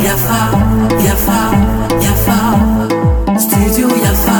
Yafa, Yafa, Yafa, Studio Yafa.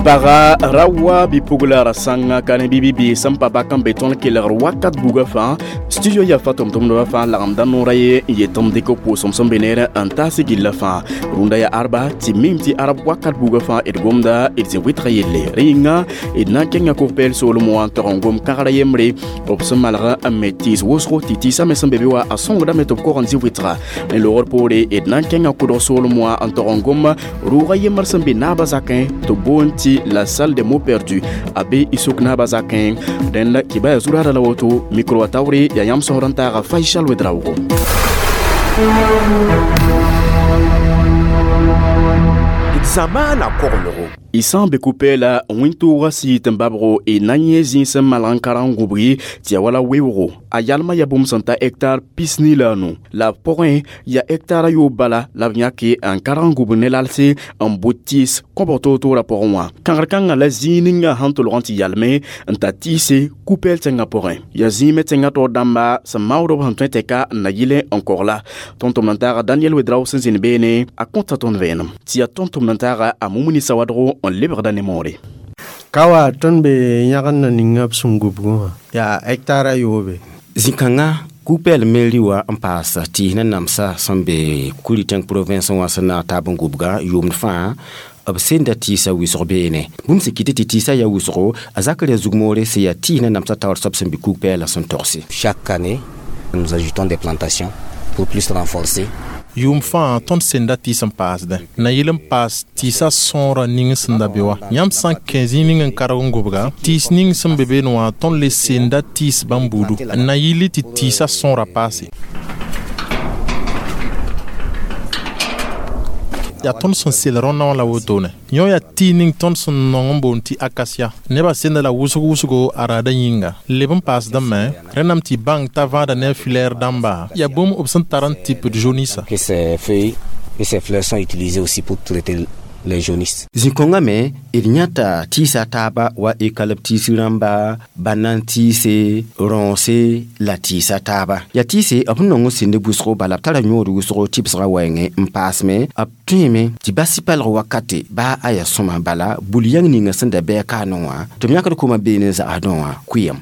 Paga rawa bipugla ra sãnga ka ne bibi sẽn pa bak n be tõnd kelgr wakat buga fãa studio Yafa tʋm-tʋmdbã fãa lagemda noora ye n yet m dɩk pʋʋsem sẽn be neer n taas gilla fãa rũndã yaa arba tɩ mim tɩ arab wakat buga fãa d gomda d zĩ wɩtga yelle rẽ yĩnga d na n kẽnga kʋg-pɛɛl soolem wã n tog n gom kãgra yembre b sẽn malg n me tɩɩs wʋsgo tɩ tɩɩsã me sẽn be be wa a sõngdame tɩ b kog n zĩ wɩtga ne loogr poore d na n kẽnga kʋdg soolem wã n tog n gom rʋʋga yembr sẽn be naabã zakẽ tɩ boond tɩ la salle des mots perdus a be y suk naabã zakẽ rẽnd kibaya zuraada la woto micro wa taoore yaa yãmb sõsd n taaga Faisal Ouedraogo. D zamaana koglgo. Y sã n be ku-pɛɛla wẽn-toogã sɩɩt n babgo y na n yẽ zĩig sẽn malg n karg n gũbgi tɩ ya wala weoogo a yalmã yaa bũmb sẽn ta hectar 24 la b pʋgẽ yaa hectar a yoob bala la b yãke n karg n gũbg ne lalse n bʋ tɩɩs kõbg toor-toorã pʋgẽ wã kãgr kãngã la zĩig ninga sẽn tolg n tɩ yalme n ta tɩɩse ku-pɛɛl tẽngã pʋgẽ yaa zĩig me tẽngã taoor dãmba sẽn maood b sẽn tõe tɛka n na yɩle n kogla tõnd-tʋmd n taaga Daniel Ouedraogo sẽn zĩnd beene a kõta tõnd vẽenem tɩ yaa tõnd-tʋmd n taaga a Mumuni Sawadgo n lebgda ne moore. Ka wa tõnd be yãgd na ninga b sẽn gubgẽ wã yaa hectare a yoobe. Zĩ-kãngã ku-pɛɛl meri wã n paas tɩɩs ne namsã sẽn be Kuri tẽng province wã sẽn na n taab n gubga yʋʋmd fãa b senda tɩɩsã wɩsg beene bũmb sẽn kɩt tɩ tɩɩsã yaa wʋsgo a zakr yaa zug-moore sẽn yaa tɩɩs ne namsã taoor soab sẽn be kug-pɛɛlã sẽn togse. Chaque année, nous ajoutons des plantations pour plus renforcer. Yʋʋm fãa tõnd senda tɩɩs n paasdẽ na yɩl n paas tɩɩsã sõora ning sẽn da be wã yãmb sã n kẽ zĩig ning n karg n gʋbga tɩɩs ning sẽn be beene wã tõnd le senda tɩɩs bãmb buudu n na yɩl tɩ tɩɩsã sõora paase yaa tõnd sẽn sel rõnna wã la wotone yõ yaa tɩɩs ning tõnd sẽn nong n boond tɩ akasia nebã senda la wʋsg wʋsgo a raadã yĩnga leb n paasdame rẽnnam tɩ bãng t'a vãada ne a filɛɛr dãmba yaa bũmb b sẽn tar n tɩpd jaunisse. Que ces feuilles et ces fleurs sont utilisées aussi pour traiter les jaunisses. Zĩ-kõngã me d yãta tɩɩsa taaba wa eucalyptus rãmba banan tɩɩse rõose la tɩɩsa taaba yaa tɩɩse b sẽn nong n sẽnd wʋsgo bala b tara yõod wʋsgo tɩbsgã wɛɛngẽ n paasme b tõeme tɩ bas palg wakate baa a yaa sõma bala bul-yãng ninga sẽn da bɩ a kaanẽ wã tɩ b yãkd koma beene n zagsdẽ wã kʋɩyem.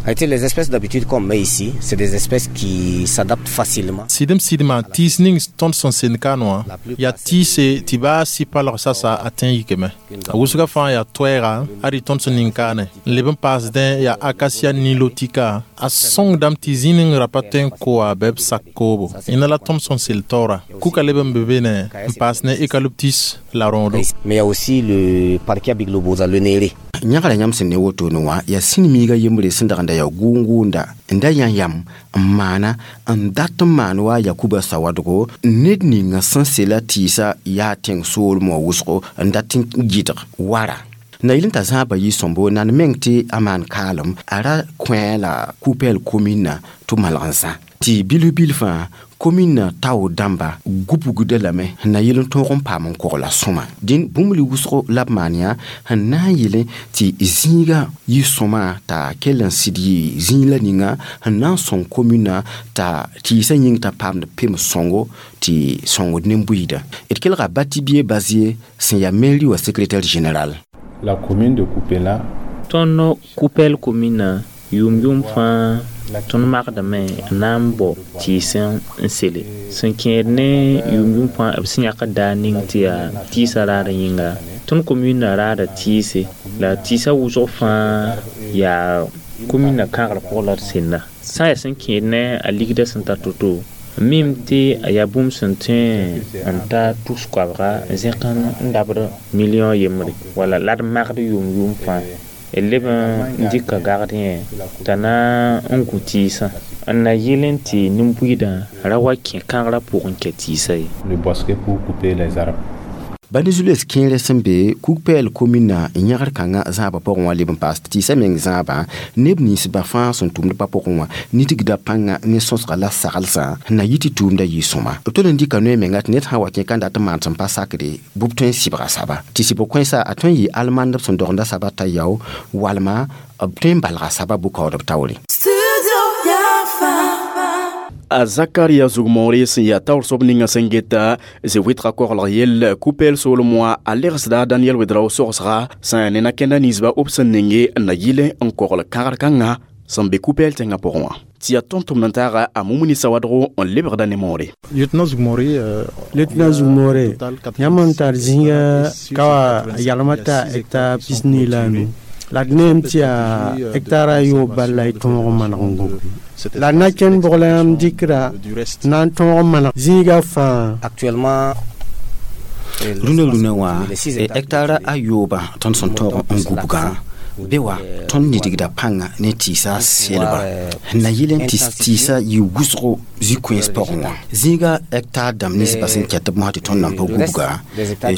Arrêtez, les espèces d'habitude qu'on met ici, c'est des espèces qui s'adaptent facilement. Sɩdem sɩdmã tɩɩs ning tõnd sẽn send kaan wã yaa tɩɩse tɩ baa sɩ palg sasa a tẽ yikame a wʋsga fãa yaa toɛɛga ad tõnd sẽn ning kaane n leb n paasdẽ yaa acacia nilotica a sõngdame tɩ zĩ ning ra pa tõe n koa bɩ b sak koobo ẽna la tõnd sẽn sel taoora kuka leb n be beene n paas ne eucalyptus la rõodo. Mais il y a aussi le Parkia biglobosa, le néré. Yãgra yãmb sẽn ne wotone wã yaa sĩn-miigã yembre sẽn dag n da yaa gʋʋng-gʋʋnda n da yã yam n maana n dat n maan wa Yakuba Sawadgo ned ninga sẽn sela tɩɩsã yaa tẽng soolem wã wʋsgo n dat n gɩdg wara na yɩl n t'a zãaba yɩ sõmbo nan meng tɩ a maan kaalem a ra kõ la ku-pɛɛl kominã tɩ malg n zã tɩ bilf-bilf fãa kominã tao dãmba gubgda lame sẽn na yɩl n tõog n paam n kogla sõma dĩn bũmb li wʋsgo la b maan yaa sẽn na n yɩlẽ tɩ zĩigã yɩ sõma t'a kell n sɩd yɩ zĩig la ninga sẽn na n sõng kominã t'a tɩɩsã yĩng t'a paamd pems sõngo tɩ sõngd nin-buiidã d kelga Batibie Bazie sẽn yaa mairie wã secrétaire général. La commune de Koupéla. Tõnd Koupɛl kominã yʋʋm-yʋʋm fãa tõnd magdame n na n bao tɩɩs n sele sẽn kẽed ne yʋʋm-yʋʋm fãa b sẽn yãk daa ning tɩ yaa tɩɩsã raadã yĩnga tõnd kominã raada tɩɩse la tɩɩsã wʋsg fãa yaa kominã kãgr pʋgẽ la d senda sã n yaa sẽn kẽed ne a ligdã sẽn tar to-to mim tɩ a yaa bũmb sẽn tõe n ta tus koabga n zẽk n dabd million yembre wala la d magd yʋʋm-yʋʋm fãa d leb n dɩka gagd yẽ t'a na n gũ tɩɩsã n na yɩl n tɩ nin-buiidã ra wa kẽ kãgrã pʋgẽ kɛ tɩɩsã ye. Le bosquet pour couper les arbres. Bãmb zu-loees kẽere sẽn be kug-pɛɛl kominã n yãgr kãngã zãabã pʋgẽ wã leb n paas tɩɩsã meng zãabã neb ninsbã fãa sẽn tʋmd pa pʋgẽ wã nidgda pãnga ne sõsga la saglsã sẽn na yɩ tɩ tʋʋmdã yɩ sõma b tol n dɩka noy menga tɩ ned sã n wa kẽ ka n dat n maan sẽn pa sakde bʋ b tõe n sɩbga saba tɩ sɩbg kõensa a tõe n yɩ almandb sẽn dogenda saba t'a yao walma b tõe n balga saba bʋ-kaoodb taoore. Studio. A Zakaria Zugmore sẽn yaa taoor soab ninga sẽn geta ze-wɩtga koglg yell Koupɛl soolem wã a legsda Daniel Wedrao sogsga sẽn ne na-kẽnda ninsba b sẽn ninge n na yɩl n kogl kãgr kãngã sẽn be Koupɛl tẽngã pʋgẽ wã tɩ yaa tõnd-tʋmd n taaga a Mumuni Sawadgo n lebgda ne moore. Lieutenant Zugmore, Lieutenant Zugmore, yãmb n tar zĩiga ka wa yalmã t'a hectare 45 la a nu. La d neem tɩ yaa hectare a yoob bal la y tõog n maneg n gũb. La d na kẽnd bʋg la yãmb dɩkra na n tõog n maneg zĩiga fãa. Actuellement, rũndã rũnã wã hectare a yoobã tõnd sẽn tõog n gubgã be wa tõnd nidgda pãnga ne tɩɩsa selba sẽn na yɩl n tɩ tɩɩsa yɩ wʋsgo zĩ-kõens pʋgẽ wã zĩiga hectare dãmb ninsbã sẽn kɛt b mosã tɩ tõnd nan pa gubga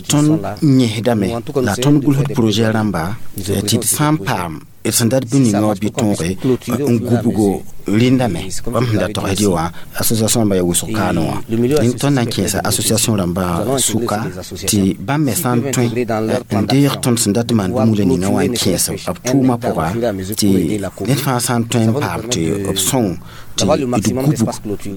tõnd yẽsdame la tõnd gʋlsd projet rãmba tɩ d sã n paam d sẽn dat bũ ninga wã bɩ tõoge n gubgo rẽndame bãmb sẽn da togsd wã association rãmba yaa wʋsg kaane wã tõnd na n kẽesa association rãmba sʋka tɩ bãmb me sã n tõe n deeg tõnd sẽn dat n maan bũmb ninga wã n kẽes b tʋʋmã pʋga tɩ ned fãa sã n tõe n paam tɩ b sõng tɩ d gubg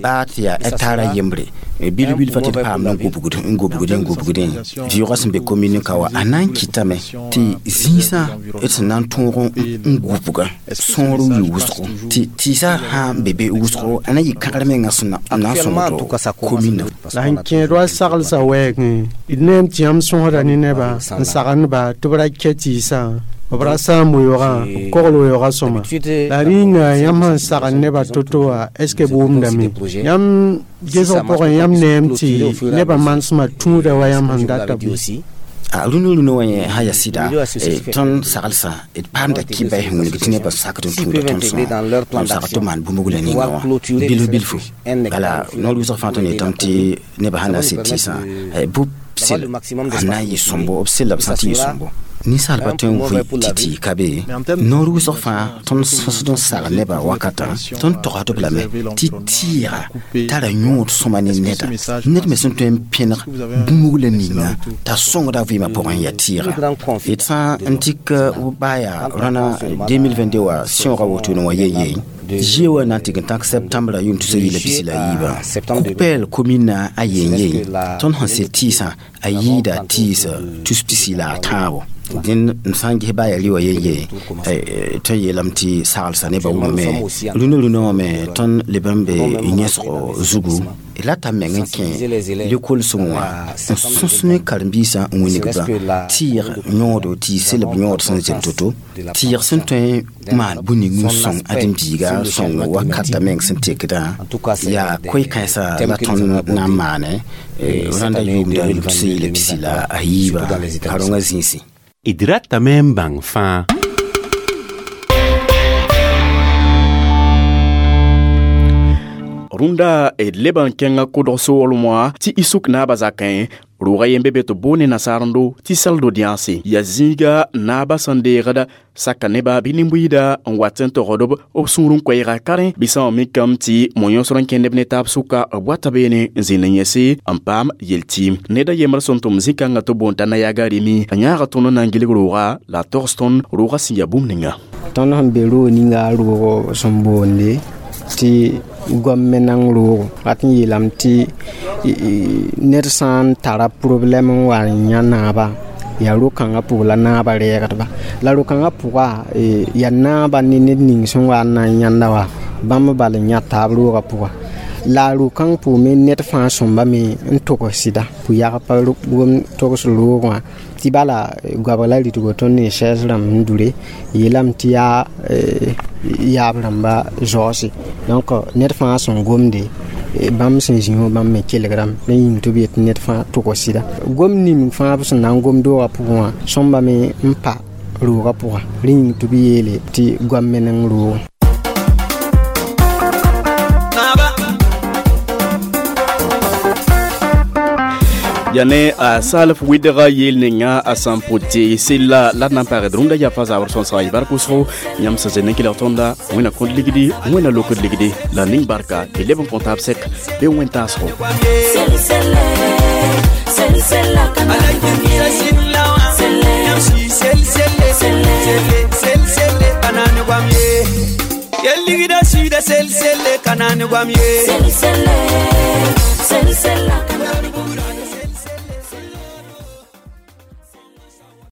baa tɩ yaa hectare a yembre bil-bil fa tɩ d paam n gubgd n gubgdẽ n gubgdẽ vɩʋgã sẽn be commune ka wa a na n kɩtame tɩ zĩisã d sẽn na n tõog n gubga sõor yɩ wʋsgo tɩ tɩɩsã sã n be be wʋsgo a na yɩ kãgr mengã sẽn na n sõngd commune. La sẽn kẽed wa saglsã wɛɛgẽ d neem tɩ yãmb sõsda ne nebã n sagendba tɩ b ra kɛ tɩɩsã b ra sãam weoogã b kogl weoogã sõma la rĩnga yãmb sẽn sagn nebã to-to wã est ce que b wʋmdame yãmb gesg pʋgẽ yãmb neem tɩ nebã manesmã tũuda wa yãmb sẽn data bɩ. Rũnã rũnã wã yẽ sã yaa sɩda tõnd saglsã d paamda kɩba sẽn wilg tɩ nebã sakd n tũuda tõnd sõa n sagd tɩ maan bũmb la ninga wã bilf bilfu bala noor wʋsg fãa tõnd yetame tɩ nebã sã na n sed tɩɩsã bʋ sel a na n yɩ sõmbo b sella b sã tɩ yɩ sõmbo ninsaalba tõe n vɩ tɩ tɩ ka be noor wʋsg fãa tõnd sõsd n sag nebã wakatã tõnd togsd b lame tɩ tɩɩga tara yõod sõma ne neda ned me sẽn tõe n pẽneg bũmb la ninga t'a sõngda vɩɩmã pʋgẽ yaa tɩɩga d sã n tik baa yaa rãna 2022 wã sẽoogã wotone wã yen-yen zie wã na n tɩg n tãk septembre yʋʋm tusa yɩla pisi la yiibã Koupɛl commune a yen-yen tõnd sẽn sel tɩɩsã a yɩɩda tɩɩs tus pisi la a tãabo dẽnd m sã n ges baa yaa rɩ wã yen-yen tõnd yeelame tɩ saglsã nebã wʋmame rũnã rũnã wã me tõnd leb n be yẽsgo zugu rata meng n kẽ lekol sõng wã n sõs ne karen-biisã n wilgba tɩɩg yõodo tɩ selb yõod sẽn zem to-to tɩɩg sẽn tõe n maan bũ-ning n sõng ãdem-biiga sõng wakata meng sẽn tekdã yaa koe-kãensã la tõnd na n maane rãnda yʋʋmda sẽn yɩla pisi la a yiibã karongã zĩisi. D ratame n bãng fãa. Rũndã d leb n kẽnga kodg soolem wã tɩ y suk naabã zakẽ rʋʋga yembe be tɩ boone nasaarendo tɩ saldo dĩanse yaa zĩiga naabã sẽn deegda saka nebã bɩ nin-buiida n wat n togd b sũur n koɛɛga karẽ bɩ sã wã mikame tɩ mo-yõsd n kẽndb ne taab sʋka b wata beene n zĩnd n yẽse n paam yel-tɩɩm ned a yembr sẽn tʋm zĩ-kãngã tɩ boon t'a nayaga remi a yãaga tõnd n na n gilg rooga la a togs tõnd rooga sẽn yaa bũmb ninga. Tõnd sẽn be roog ninga roogo sẽn boonde tɩ goam-menang roogo rat n yeelame tɩ ned sã n tara problɛm n wa n yã naaba yaa ro-kãngã pʋg la naabã rɛɛgdba la ro-kãngã pʋga yaa naaba ne ned ning sẽn wa n na n yãnda wa bãmb bal n yã taab roogã pʋga la ro-kãng pʋg me ned fãa sõmba me n togs sɩda pʋ-yag pa gom togs roog wã tɩ bala goabg la rɩtgo tõnd ne sɛɛs rãmb n dure yeelame tɩ yaa yaab rãmba zaoose donc ned fãa sẽn gomde bãmb sẽn zĩ wã bãmb me kelgrame la yĩng tɩ b yet ned fãa tog sɩda gom ning fãa b sẽn na n gom doogã pʋgẽ wã sõmba me n pa roogã pʋga rẽ yĩng tɩ b yeele tɩ goam meneng roogã. Ya ne a salf wɩdga yeel ninga a sẽn pʋ tɩ sella la d na n pagd rũndã yafa zabr sõsga y bark wʋsgo yãmb sẽn zẽnd n kelg tõnda wẽna kõt ligdi wẽna lokd ligdi la ning barka tɩ leb n kõ taab sɛk bɩ wẽn-taasgo. Yel ligda suida sel selle kanani gwam ye. Sel selle.